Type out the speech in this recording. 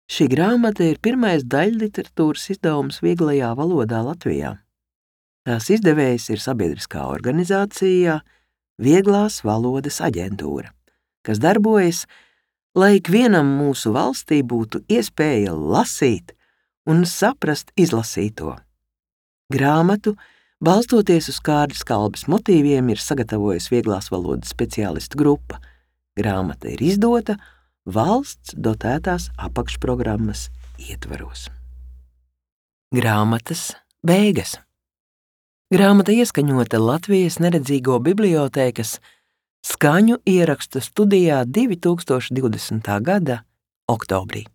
Šī grāmata ir pirmais daļliteratūras izdevums vieglajā valodā Latvijā. Tās izdevējs ir sabiedriskā organizācija Vieglās valodas aģentūra, kas darbojas, lai ikvienam mūsu valstī būtu iespēja lasīt un saprast izlasīto. Grāmatu, balstoties uz Kārļa Skalbes motīviem, ir sagatavojusi vieglās valodas speciālistu grupa. Grāmata ir izdota valsts dotētās apakšprogrammas ietvaros. Grāmatas beigas. Grāmata ieskaņota Latvijas neredzīgo bibliotēkas skaņu ierakstu studijā 2020. gada oktobrī.